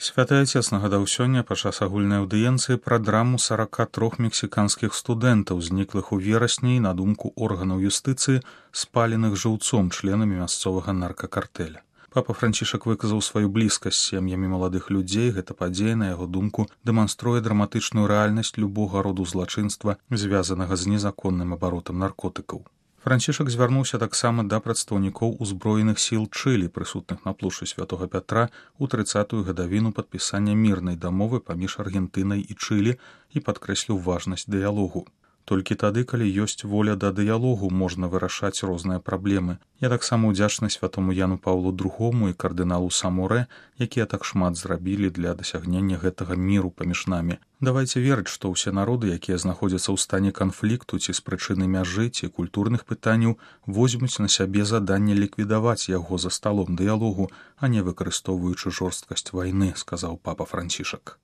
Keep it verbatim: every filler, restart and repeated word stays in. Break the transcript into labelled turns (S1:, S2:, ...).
S1: Святы Отец нагадаў сёння падчас агульнай аўдыенцыі пра драму сарака трох мексіканскіх студэнтаў, зніклых у верасні, на думку органаў юстыцыі, спаленых жыўцом членамі мясцовага наркакартэля. Папа Францішак выказаў сваю блізкасць з сем'ямі маладых людзей. Гэта падзея, на яго думку, дэманструе драматычную рэальнасць любога роду злачынства, звязанага з незаконным абаротам наркотыкаў. Францішак звярнуўся таксама да прадстаўнікоў узброеных сіл Чылі, прысутных на плошчы Святога Пятра ў трыццатую гадавіну падпісання мірнай дамовы паміж Аргентынай і Чылі і падкрэсліў важнасць дыялогу. Толькі тады, калі ёсць воля да дыялогу, можна вырашаць розныя праблемы. Я таксама ўдзячны святому Яну Паўлу другому і кардыналу Саморэ, якія так шмат зрабілі для дасягнення гэтага міру паміж намі. Давайце верыць, што ўсе народы, якія знаходзяцца ў стане канфлікту ці з прычыны мяжы ці культурных пытанняў, возьмуць на сябе заданне ліквідаваць яго за сталом дыялогу, а не выкарыстоўваючы жорсткасць вайны, сказаў папа Францішак.